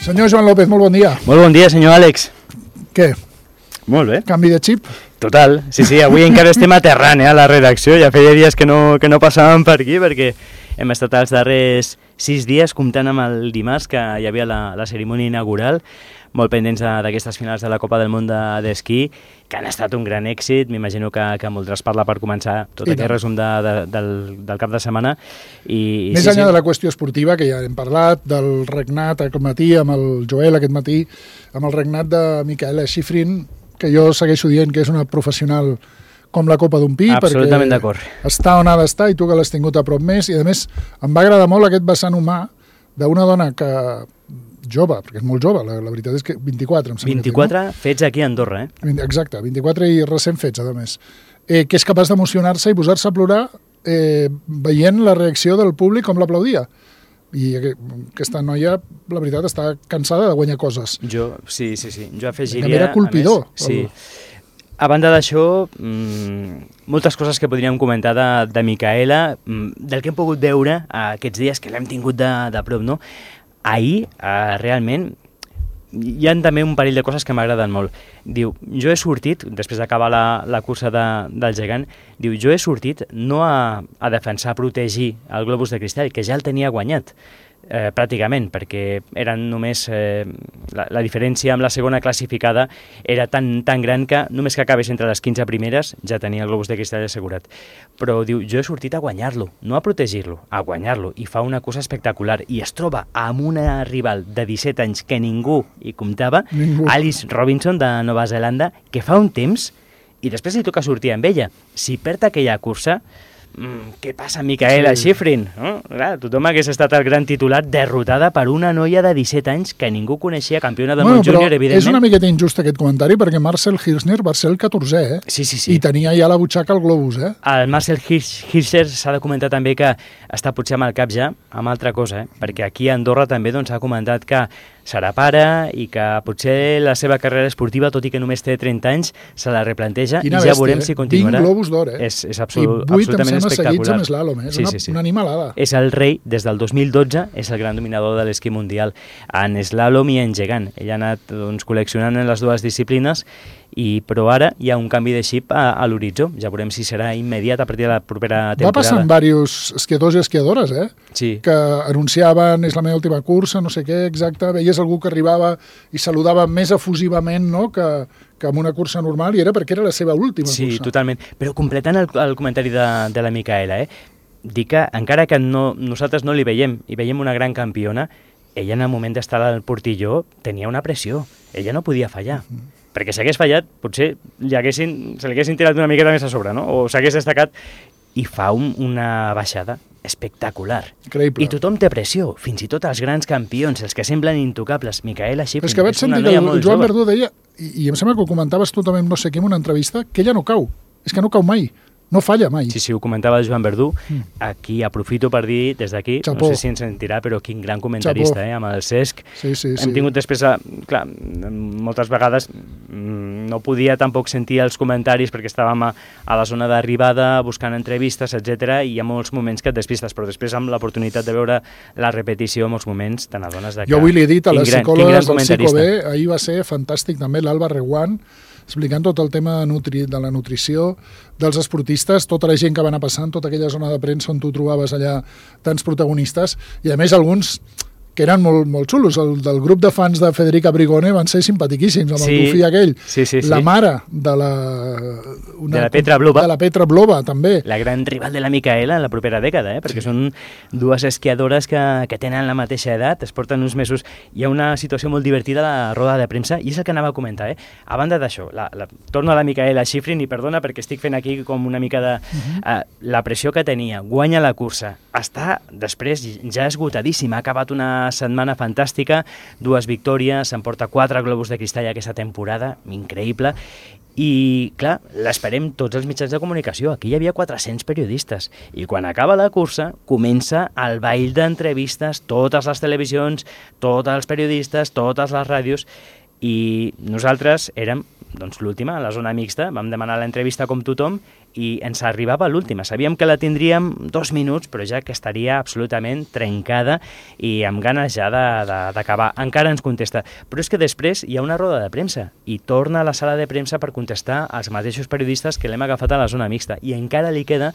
Senyor Joan López, molt bon dia. Molt bon dia, senyor Àlex. Què? Molt bé. Canvi de xip? Total. Sí, avui encara estem aterrant a la redacció. Ja feia dies que no passàvem per aquí perquè hem estat els darrers 6 dies comptant amb el dimarts que hi havia la cerimònia inaugural, molt pendents d'aquestes finals de la Copa del Món d'esquí, que han estat un gran èxit. M'imagino que voldràs parlar per començar tot aquest resum del cap de setmana. Més enllà de la qüestió esportiva, que ja hem parlat, del regnat aquest matí, amb el Joel aquest matí, amb el regnat de Micaela Shiffrin, que jo segueixo dient que és una professional com la copa d'un pi, absolutament d'acord. Està on ha d'estar i tu que l'has tingut a prop més, i a més em va agradar molt aquest vessant humà d'una dona que jove, perquè és molt jove, la veritat és que 24, em sembla. 24 fets aquí a Andorra, Exacte, 24 i recent fets, a més. Que és capaç d'emocionar-se i posar-se a plorar veient la reacció del públic com l'aplaudia. I aquesta noia, la veritat, està cansada de guanyar coses. Sí. Jo afegiria... Era colpidor. Sí. A banda d'això, moltes coses que podríem comentar de Micaela, del que hem pogut veure aquests dies que l'hem tingut de prop, no? Ahir, realment, hi ha també un parell de coses que m'agraden molt. Diu, jo he sortit, després d'acabar la cursa del gegant, diu, jo he sortit no a defensar, a protegir el globus de cristall, que ja el tenia guanyat, pràcticament, perquè eren només la diferència amb la segona classificada era tan gran que només que acabés entre les 15 primeres ja tenia el globus de cristall assegurat. Però diu, jo he sortit a guanyar-lo, no a protegir-lo, a guanyar-lo, i fa una cosa espectacular, i es troba amb una rival de 17 anys que ningú hi comptava, Alice Robinson de Nova Zelanda, que fa un temps, i després li toca sortir amb ella. Si perd aquella cursa, què passa, Micaela Shiffrin? No? Clar, tothom hagués estat el gran titular, derrotada per una noia de 17 anys que ningú coneixia, campiona del món júnior, evidentment. És una miqueta injust aquest comentari, perquè Marcel Hirscher va ser el 14è, Sí. I tenia ja a la butxaca el globus, El Marcel Hirscher s'ha de comentar també que està potser amb el cap ja amb altra cosa, perquè aquí a Andorra també s'ha comentat que serà pare i que potser la seva carrera esportiva, tot i que només té 30 anys, se la replanteja i ja veurem si continuarà. 20 globus d'or, És absolutament espectacular. Amb slalom, és una animalada. És el rei, des del 2012, és el gran dominador de l'esquí mundial en slalom i en gegant. Ell ha anat col·leccionant en les dues disciplines, però ara hi ha un canvi de xip a l'horitzó. Ja veurem si serà immediat a partir de la propera temporada. Va passar amb diversos esquiadors i esquiadores, Sí. Que anunciaven, és la meva última cursa, no sé què, exacte, veies algú que arribava i saludava més efusivament, no?, que amb una cursa normal, i era perquè era la seva última cursa. Sí, totalment. Però completant el comentari de la Micaela, dir que encara que nosaltres no li veiem, i veiem una gran campiona, ella en el moment d'estar al portilló tenia una pressió. Ella no podia fallar. Perquè si hagués fallat, potser se li haguessin tirat una miqueta més a sobre, no? O s'hagués destacat, i fa una baixada espectacular. Increïble. I tothom té pressió, fins i tot els grans campions, els que semblen intocables. Micaela Shiffrin és que vaig sentir que el Joan Verdú deia, i em sembla que ho comentaves tu també, no sé què, en una entrevista, que ella no cau. És que no cau mai. No falla mai. Sí, ho comentava el Joan Verdú. Aquí aprofito per dir, des d'aquí, Chapó. no sé si ens sentirà, però quin gran comentarista, amb el Cesc. Sí. Hem tingut després, clar, moltes vegades no podia tampoc sentir els comentaris perquè estàvem a la zona d'arribada, buscant entrevistes, etc. I hi ha molts moments que et despistes, però després amb l'oportunitat de veure la repetició, molts moments te n'adones de que... Jo avui li he dit a les psicòlogues del Psico-B, ahir va ser fantàstic també l'Alba Reguant, explicant tot el tema de la nutrició dels esportistes, tota la gent que va anar passant, tota aquella zona de premsa on tu trobaves allà tants protagonistes, i a més alguns que eren molt xulos. El del grup de fans de Federica Brigone van ser simpatiquíssims, amb el dofí aquell. Sí. La mare de la Petra Vlhova. De la Petra Vlhova, també. La gran rival de la Micaela en la propera dècada, perquè són dues esquiadores que tenen la mateixa edat, es porten uns mesos. Hi ha una situació molt divertida a la roda de premsa, i és el que anava a comentar. A banda d'això, torno a la Micaela Shiffrin, i perdona perquè estic fent aquí com una mica de... la pressió que tenia, guanya la cursa, està després ja esgotadíssima, ha acabat una setmana fantàstica, 2 victòries, s'emporta 4 globus de cristall aquesta temporada, increïble, i clar, l'esperem tots els mitjans de comunicació. Aquí hi havia 400 periodistes, i quan acaba la cursa comença el ball d'entrevistes, totes les televisions, tots els periodistes, totes les ràdios, i nosaltres érem l'última, a la zona mixta, vam demanar l'entrevista com tothom, i ens arribava l'última. Sabíem que la tindríem 2 minuts, però ja que estaria absolutament trencada i amb ganes ja d'acabar. Encara ens contesta. Però és que després hi ha una roda de premsa i torna a la sala de premsa per contestar als mateixos periodistes que l'hem agafat a la zona mixta. I encara li queda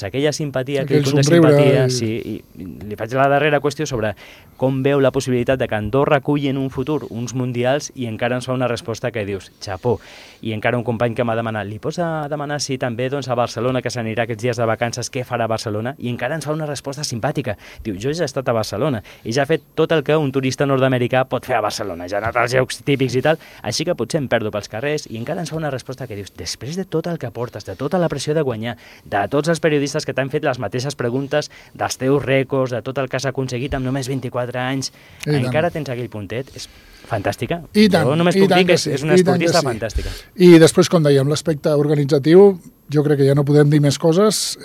aquella simpatia, aquell punt de simpatia. Sí, i li faig la darrera qüestió sobre com veu la possibilitat de que Andorra aculli en un futur uns mundials i encara ens fa una resposta que dius, xapó. I encara un company que m'ha demanat, li pots demanar si també a Barcelona, que s'anirà aquests dies de vacances, què farà a Barcelona? I encara ens fa una resposta simpàtica. Diu, jo ja he estat a Barcelona i ja he fet tot el que un turista nord-americà pot fer a Barcelona, ja ha anat als llocs típics i tal, així que potser em perdo pels carrers, i encara ens fa una resposta que dius, després de tot el que portes, de tota la pressió de guanyar, de tots els periodistes que t'han fet les mateixes preguntes, dels teus rècords, de tot el que has aconseguit amb només 24 anys, encara tens aquell puntet, és fantàstica. Jo només puc dir que és una esportista fantàstica. I després, com dèiem, l'aspecte organitzatiu, jo crec que ja no podem dir més coses.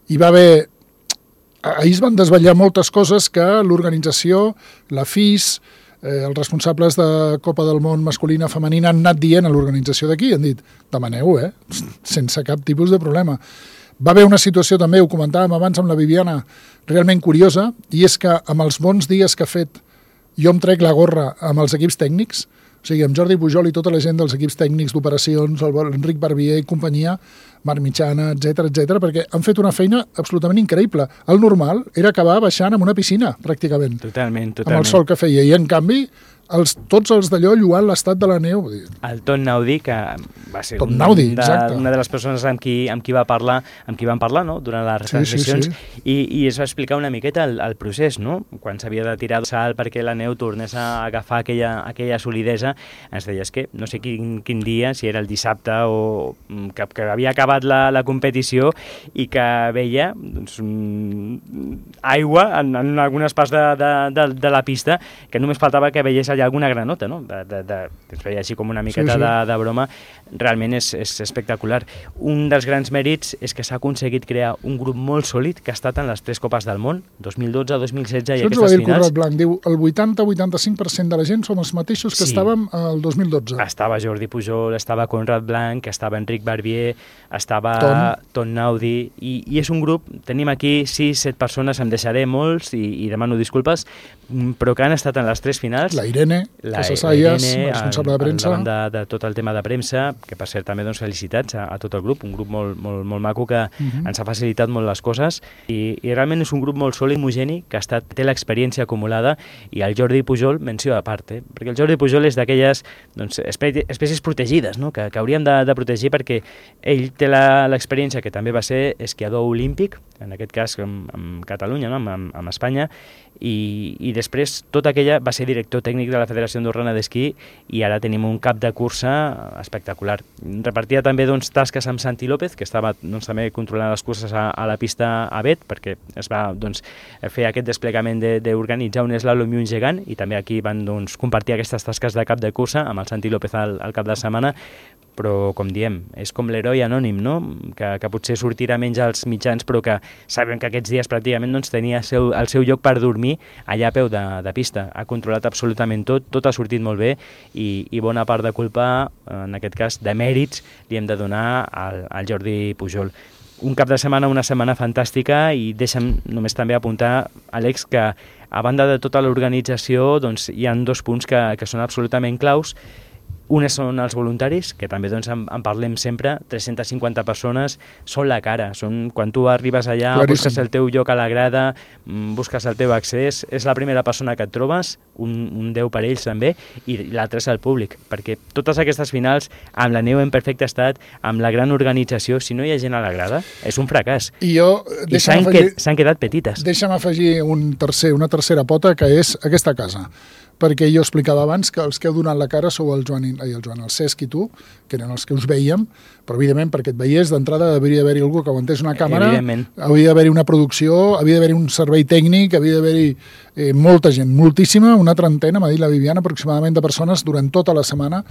Hi va haver... Ahir es van desvetllar moltes coses que l'organització, la FIS, els responsables de Copa del Món masculina femenina han anat dient a l'organització d'aquí, han dit, demaneu, sense cap tipus de problema. Va haver una situació també, ho comentàvem abans amb la Viviana, realment curiosa, i és que amb els bons dies que ha fet jo em trec la gorra amb els equips tècnics, o sigui, amb Jordi Pujol i tota la gent dels equips tècnics d'operacions, Enric Barbier i companyia, Marc Mitjana, etc, perquè han fet una feina absolutament increïble. El normal era acabar baixant en una piscina, pràcticament. Totalment. Amb el sol que feia. I, en canvi, tots els d'allò lluant l'estat de la neu. El Ton Naudi, que va ser una de les persones amb qui van parlar, no?, durant les retransmissions, i es va explicar una miqueta el procés, no?, quan s'havia de tirar el salt perquè la neu tornés a agafar aquella solidesa. Ens deia que no sé quin dia, si era el dissabte o que havia acabat la competició i que veia aigua en algunes parts de la pista, que només faltava que veiés allà alguna granota, no? Es feia així com una miqueta de broma. Realment és espectacular. Un dels grans mèrits és que s'ha aconseguit crear un grup molt sòlid que ha estat en les 3 Copes del Món, 2012, 2016 i aquestes finals. Això ens ho va dir el Conrad Blanc, diu el 80-85% de la gent som els mateixos que estàvem el 2012. Estava Jordi Pujol, estava Conrad Blanc, estava Enric Barbier, estava Ton Naudi, i és un grup, tenim aquí 6-7 persones, em deixaré molts i demano disculpes, però que han estat en les 3 finals. La Irene Casasayas, responsable de premsa. Al davant de tot el tema de premsa, que per cert també felicitats a tot el grup, un grup molt maco que ens ha facilitat molt les coses, i realment és un grup molt sòlid, homogeni, que té l'experiència acumulada, i el Jordi Pujol, menció a part, perquè el Jordi Pujol és d'aquelles espècies protegides, no?, que hauríem de protegir, perquè ell té l'experiència que també va ser esquiador olímpic, en aquest cas amb Catalunya, no?, amb Espanya, i després tot aquella va ser director tècnic de la Federació Andorrana d'Esquí, i ara tenim un cap de cursa espectacular. Repartia també tasques amb Santi López, que estava també controlant les curses a la pista Abet, perquè es va fer aquest desplegament d'organitzar un slalom i un gegant, i també aquí van compartir aquestes tasques de cap de cursa amb el Santi López al cap de setmana. Però, com diem, és com l'heroi anònim, no?, que potser sortirà menys als mitjans, però que sabem que aquests dies pràcticament tenia el seu lloc per dormir allà a peu de pista. Ha controlat absolutament tot ha sortit molt bé, i bona part de culpa, en aquest cas de mèrits, li hem de donar al Jordi Pujol. Un cap de setmana, una setmana fantàstica, i deixa'm només també apuntar, Àlex, que a banda de tota l'organització hi ha 2 punts que són absolutament claus. Unes són els voluntaris, que també en parlem sempre, 350 persones, són la cara, quan tu arribes allà, busques el teu lloc a la grada, busques el teu accés, és la primera persona que et trobes, un Déu per ells també, i l'altre és el públic, perquè totes aquestes finals, amb la neu en perfecte estat, amb la gran organització, si no hi ha gent a la grada, és un fracàs. I s'han quedat petites. Deixa'm afegir una tercera pota, que és aquesta casa. Perquè jo explicava abans que els que heu donat la cara sou el Cesc i tu, que eren els que us veiem, però evidentment perquè et veiés d'entrada hauria d'haver-hi algú que aguantés una càmera, hauria d'haver-hi una producció, havia d'haver-hi un servei tècnic, havia d'haver-hi molta gent, moltíssima, una trentena, m'ha dit la Viviana, aproximadament de persones durant tota la setmana,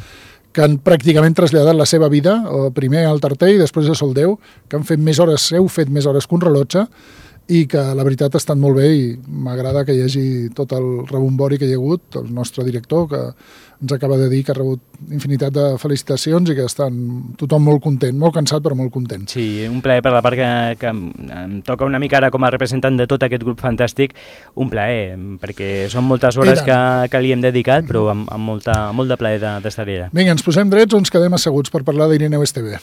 que han pràcticament traslladat la seva vida, primer al Tarter i després a Soldeu, que han fet més hores, heu fet més hores que un rellotge, i que la veritat ha estat molt bé i m'agrada que hi hagi tot el rebombori que hi ha hagut, el nostre director que ens acaba de dir que ha rebut infinitat de felicitacions i que estan tothom molt content, molt cansat però molt content. Sí, un plaer per la part que em toca una mica ara com a representant de tot aquest grup fantàstic, un plaer, perquè són moltes hores que li hem dedicat, però amb molt de plaer d'estar allà. Vinga, ens posem drets o ens quedem asseguts per parlar d'Irineu Esteve?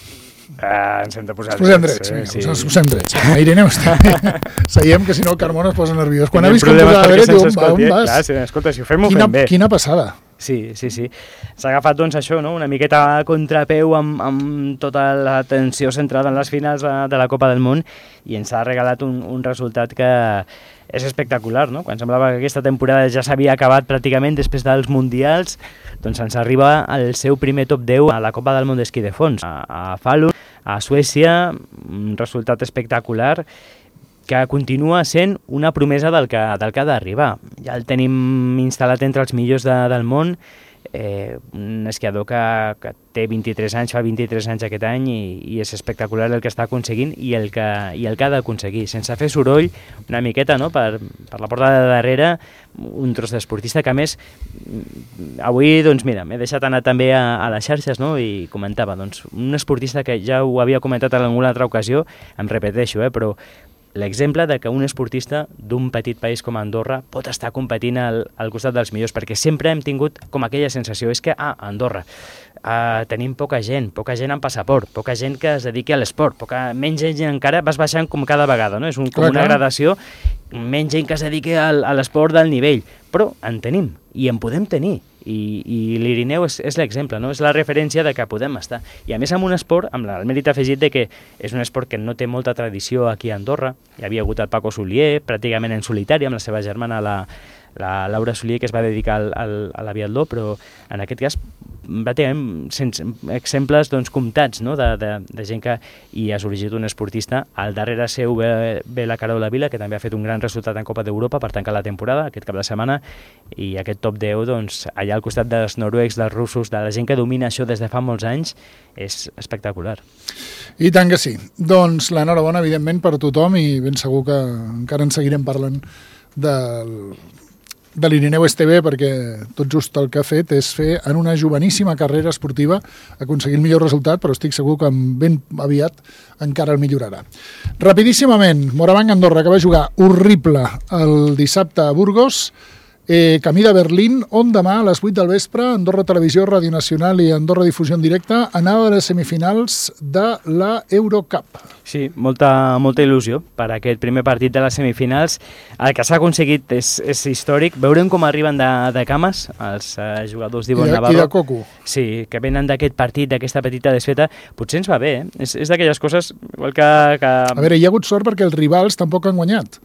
Ens hem de posar drets. Ens posem drets. Irineu Esteve. Seiem que si no el Carmona es posa nerviós. Quan ha vist com posava dret, diu, on vas? Clar, escolta, si ho fem, ho fem bé. Quina passada. Sí. S'ha agafat, doncs, això, no? Una miqueta a contrapeu amb tota l'atenció centrada en les finals de la Copa del Món i ens ha regalat un resultat que és espectacular, no? Quan semblava que aquesta temporada ja s'havia acabat pràcticament després dels Mundials, doncs ens arriba el seu primer top 10 a la Copa del Món d'esquí de fons, a Falun, a Suècia, un resultat espectacular que continua sent una promesa del que ha d'arribar. Ja el tenim instal·lat entre els millors del món, un esquiador que té 23 anys, fa 23 anys aquest any i és espectacular el que està aconseguint i el que ha d'aconseguir, sense fer soroll, una miqueta, no? Per la porta de darrere, un tros d'esportista que, a més, avui, doncs mira, m'he deixat anar també a les xarxes, no? I comentava, doncs, un esportista que ja ho havia comentat en alguna altra ocasió, em repeteixo, però l'exemple de que un esportista d'un petit país com Andorra pot estar competint al costat dels millors, perquè sempre hem tingut com aquella sensació, és que a Andorra tenim poca gent amb passaport, poca gent que es dediqui a l'esport, menys gent encara, vas baixant com cada vegada, no? És com una gradació, menys gent que es dediqui a l'esport del nivell, però en tenim i en podem tenir. I l'Irineu és l'exemple, no? És la referència de que podem estar. I a més amb un esport, amb el mèrit afegit de que és un esport que no té molta tradició aquí a Andorra. Hi havia hagut el Paco Solier, pràcticament en solitari, amb la seva germana, la Laura Solier, que es va dedicar a l'aviatló, però en aquest cas pràcticament sense exemples doncs, comptats, no? de gent que hi ha sorgit un esportista. Al darrere seu ve la Carola Vila, que també ha fet un gran resultat en Copa d'Europa per tancar la temporada, aquest cap de setmana, i aquest top 10, doncs, allà al costat dels noruecs, dels russos, de la gent que domina això des de fa molts anys, és espectacular. I tant que sí. Doncs l'enhorabona, evidentment, per tothom, i ben segur que encara en seguirem parlant de l'Irineu Esteve, perquè tot just el que ha fet és fer en una joveníssima carrera esportiva aconseguir el millor resultat, però estic segur que ben aviat encara el millorarà. Rapidíssimament, Morabanc Andorra, que va jugar horrible el dissabte a Burgos, camí de Berlín, on demà a les 8 del vespre Andorra Televisió, Ràdio Nacional i Andorra Difusió en directe anava a les semifinals de la Eurocup. Sí, molta il·lusió per aquest primer partit de les semifinals. El que s'ha aconseguit és històric. Veurem com arriben de cames els jugadors d'Ivonne Navarro. I de coco. Sí, que venen d'aquest partit, d'aquesta petita desfeta. Potser ens va bé, És d'aquelles coses igual que... A veure, hi ha hagut sort perquè els rivals tampoc han guanyat.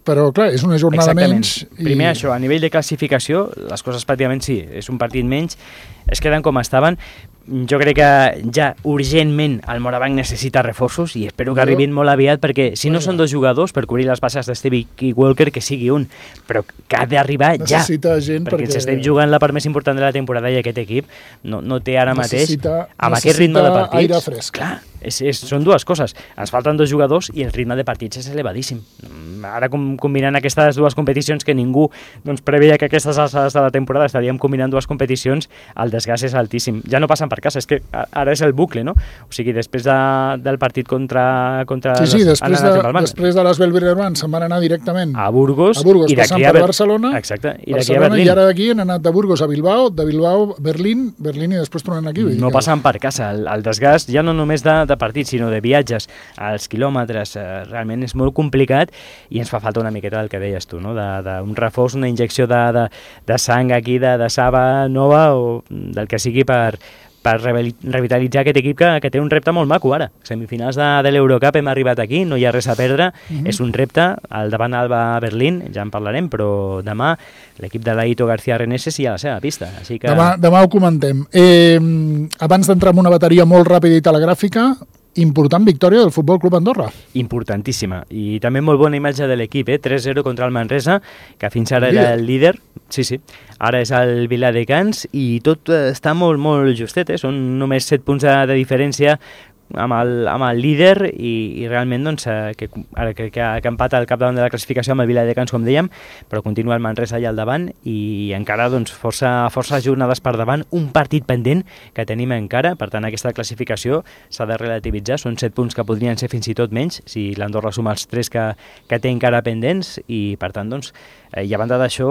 Però, clar, és una jornada menys. Primer això, a nivell de classificació, les coses pràcticament sí, és un partit menys, es queden com estaven. Jo crec que ja urgentment el Morabanc necessita reforços i espero que arribin molt aviat, perquè si no són dos jugadors per cobrir les baixes d'Esteve Walker, que sigui un, però que ha d'arribar ja. Necessita gent perquè s'estem jugant la part més important de la temporada i aquest equip no té ara mateix, amb aquest ritme de partits... aire fresc. Clar, són dues coses. Ens falten dos jugadors i el ritme de partits és elevadíssim. Ara combinant aquestes dues competicions que ningú doncs, preveia que aquestes alçades de la temporada estaríem combinant dues competicions, el desgast és altíssim. Ja no passen per casa, és que ara és el bucle, no? O sigui, després del partit contra sí, després de les Belgrano se'n van anar directament a Burgos i passant per Barcelona. Exacte, i d'aquí a Berlín. I ara d'aquí han anat de Burgos a Bilbao, de Bilbao a Berlín i després tornen aquí. No passen per casa. El desgast ja no només de partits, sinó de viatges, als quilòmetres, realment és molt complicat i ens fa falta una miqueta del que deies tu, no? Un reforç, una injecció de sang aquí, de saba nova o del que sigui per revitalitzar aquest equip que té un repte molt maco ara. Semifinals de l'Eurocup, hem arribat aquí, no hi ha res a perdre, és un repte, al davant Alba Berlín, ja en parlarem, però demà l'equip de l'Aito García Reneses hi ha la seva pista. Així que... Demà ho comentem. Abans d'entrar en una bateria molt ràpida i telegràfica, important victòria del Futbol Club Andorra. Importantíssima. I també molt bona imatge de l'equip, 3-0 contra el Manresa, que fins ara era el líder. Sí. Ara és el Viladecans i tot està molt justet, Són només 7 punts de diferència amb el líder i realment doncs, que ara crec que empata al capdavant de la classificació amb el Viladecans, com dèiem, però continua el Manresa allà al davant i encara doncs, força jornades per davant, un partit pendent que tenim encara, per tant aquesta classificació s'ha de relativitzar, són 7 punts que podrien ser fins i tot menys si l'Andorra suma els 3 que té encara pendents i per tant doncs, i a banda d'això,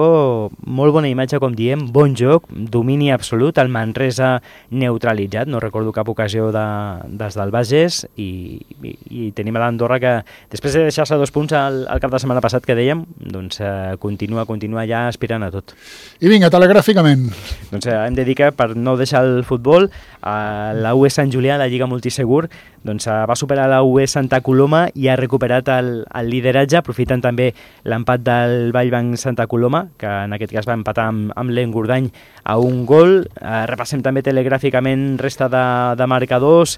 molt bona imatge, com diem, bon joc, domini absolut, el Manresa neutralitzat, no recordo cap ocasió dels del Bages i tenim a l'Andorra que després de deixar-se 2 punts al cap de setmana passat que dèiem, doncs continua ja aspirant a tot. I vinga, telegràficament. Doncs hem de dir que per no deixar el futbol, la UE Sant Julià, la Lliga Multisegur, doncs va superar la UE Santa Coloma i ha recuperat el lideratge, aprofitant també l'empat del Vallbanc Santa Coloma, que en aquest cas va empatar amb l'Engordany a 1 gol. Repassem també telegràficament resta de marcadors.